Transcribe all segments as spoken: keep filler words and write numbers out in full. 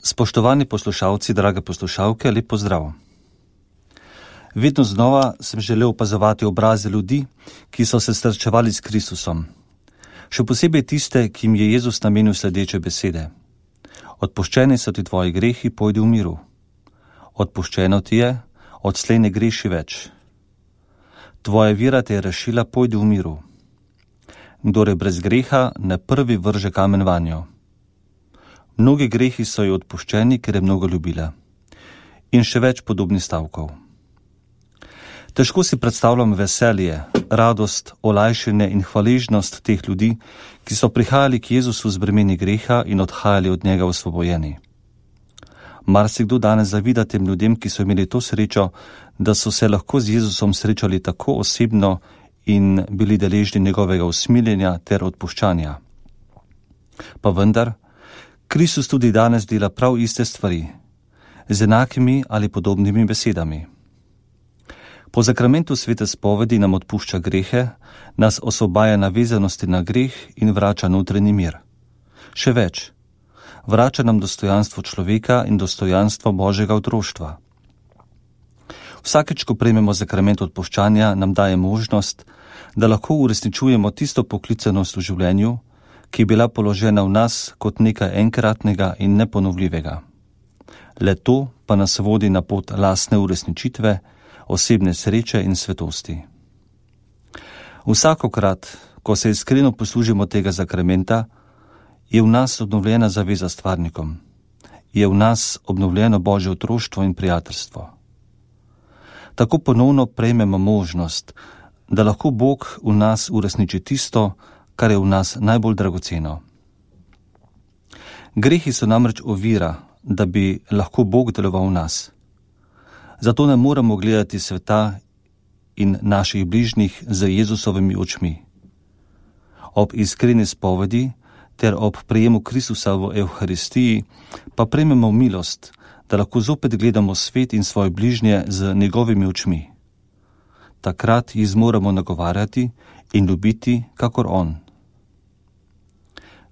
Spoštovani poslušalci, drage poslušalke, lep pozdrav. Vedno znova sem želel opazovati obraze ljudi, ki so se srečevali s Kristusom. Še posebej tiste, ki jim je Jezus namenil sledeče besede. Odpuščeni so ti tvoji grehi, pojdi v miru. Odpuščeno ti je, odslej ne greši več. Tvoja vera te je rešila, pojdi v miru. Kdor je brez greha, ne prvi vrže kamen vanjo. Mnogi grehi so ji odpuščeni, ker je mnogo ljubila. In še več podobnih stavkov. Težko si predstavljam veselje, radost, olajšanje in hvaležnost teh ljudi, ki so prihajali k Jezusu z bremeni greha in odhajali od njega osvobojeni. Marsikdo danes zavida tem ljudem, ki so imeli to srečo, da so se lahko z Jezusom srečali tako osebno in bili deležni njegovega usmiljenja ter odpuščanja. Pa vendar, Kristus tudi danes dela prav iste stvari, z enakimi ali podobnimi besedami. Po zakramentu svete spovedi nam odpušča grehe, nas osvobaja navezanosti na greh in vrača notranji mir. Še več, vrača nam dostojanstvo človeka in dostojanstvo Božjega otroštva. Vsakeč, ko prejmemo zakrament odpuščanja, nam daje možnost, da lahko uresničujemo tisto poklicanost v življenju, ki je bila položena v nas kot nekaj enkratnega in neponovljivega. Le to pa nas vodi na pot lastne uresničitve, osebne sreče in svetosti. Vsakokrat, ko se iskreno poslužimo tega zakramenta, je v nas obnovljena zaveza s stvarnikom, je v nas obnovljeno Božje otroštvo in prijateljstvo. Tako ponovno prejmemo možnost, da lahko Bog v nas uresniči tisto, kar je v nas najbolj dragoceno. Grehi so namreč ovira, da bi lahko Bog deloval v nas. Zato ne moremo gledati sveta in naših bližnjih z Jezusovimi očmi. Ob iskreni spovedi ter ob prejemu Kristusa v Evharistiji pa prejmemo milost, da lahko zopet gledamo svet in svoje bližnje z njegovimi očmi. Takrat jih zmoremo nagovarjati in ljubiti, kakor on.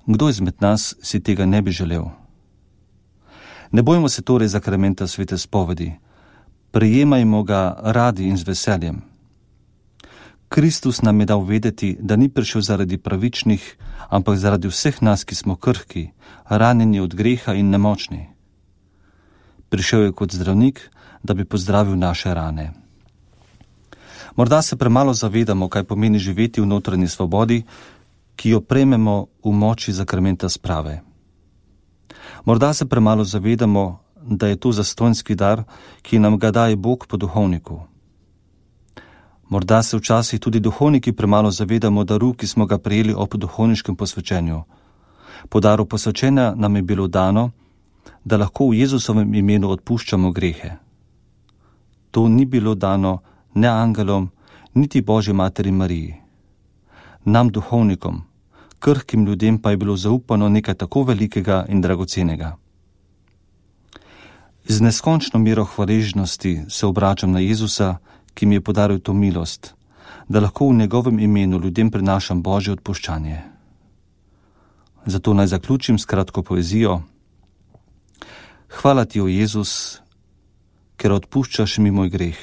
Kdo izmed nas si tega ne bi želel? Ne bojmo se torej zakramenta svete spovedi, prejemajmo ga radi in z veseljem. Kristus nam je dal vedeti, da ni prišel zaradi pravičnih, ampak zaradi vseh nas, ki smo krhki, ranjeni od greha in nemočni. Prišel je kot zdravnik, da bi pozdravil naše rane. Morda se premalo zavedamo, kaj pomeni živeti v notranji svobodi, ki jo prejmemo v moči zakramenta sprave. Morda se premalo zavedamo, da je to zastonjski dar, ki nam ga daje Bog po duhovniku. Morda se včasih tudi duhovniki premalo zavedamo daru, ki smo ga prejeli ob duhovniškem posvečenju. Po daru posvečenja nam je bilo dano, da lahko v Jezusovem imenu odpuščamo grehe. To ni bilo dano ne angelom, niti Božji materi Mariji. Nam duhovnikom, krhkim ljudem pa je bilo zaupano nekaj tako velikega in dragocenega. Z neskončno mero hvaležnosti se obračam na Jezusa, ki mi je podaril to milost, da lahko v njegovem imenu ljudem prinašam Božje odpuščanje. Zato naj zaključim s kratko poezijo. Hvala ti, o Jezus, ker odpuščaš mi moj greh.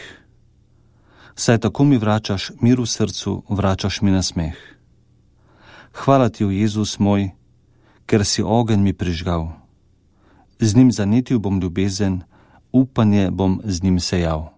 Saj tako mi vračaš mir v srcu, vračaš mi nasmeh. Hvala ti, o Jezus moj, ker si ogenj mi prižgal. Z njim zanetil bom ljubezen, upanje bom z njim sejal.